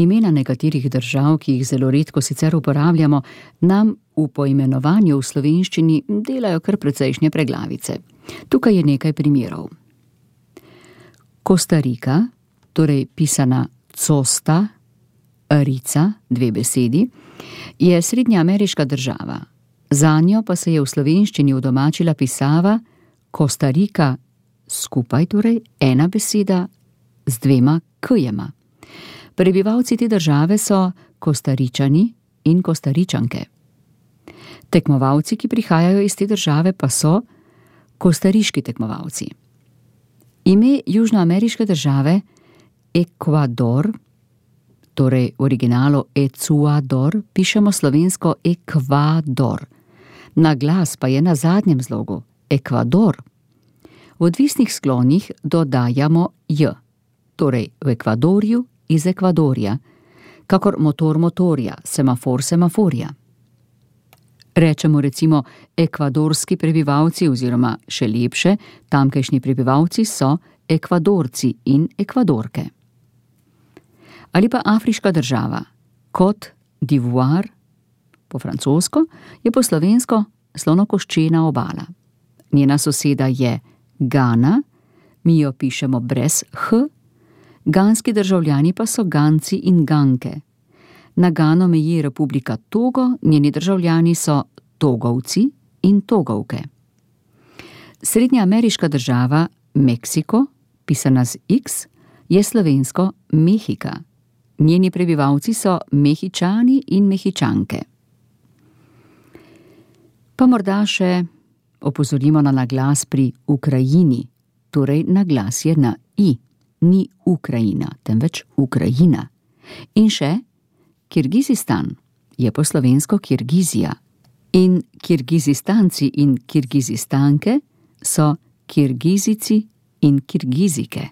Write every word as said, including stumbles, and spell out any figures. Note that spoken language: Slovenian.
Imena nekaterih držav, ki jih zelo redko sicer uporabljamo, nam v poimenovanju v slovenščini delajo kar precejšnje preglavice. Tukaj je nekaj primerov. Kostarika, torej pisana Costa, Rica, dve besedi, je srednjeameriška država. Zanjo pa se je v slovenščini udomačila pisava Kostarika, skupaj torej ena beseda z dvema k-jema. Prebivalci te države so Kostaričani in Kostaričanke. Tekmovalci, ki prihajajo iz te države, pa so kostariški tekmovalci. Ime južnoameriške države Ekvador, torej v originalu Ecuador, pišemo slovensko Ekvador. Na glas pa je na zadnjem zlogu Ekvador. V odvisnih sklonih dodajamo j, torej v Ekvadorju iz Ekvadorja, kakor motor motorja, semafor semaforja. Rečemo recimo ekvadorski prebivalci oziroma še lepše, tamkajšnji prebivalci so Ekvadorci in Ekvadorke. Ali pa afriška država, Côte d'Ivoire, po francosko, je po slovensko slonokoščena obala. Njena soseda je Gana, mi jo pišemo brez h, ganski državljani pa so Ganci in Ganke. Na Gano meji Republika Togo, njeni državljani so Togovci in Togovke. Srednjeameriška država Meksiko, pisana z X, je slovensko Mehika. Njeni prebivalci so Mehičani in Mehičanke. Pa morda še opozorimo na naglas pri Ukrajini, torej naglas je na i, ni Ukrajina, temveč Ukrajina. In še Kirgizistan je po slovensko Kirgizija in Kirgizistanci in Kirgizistanke so Kirgizici in Kirgizike.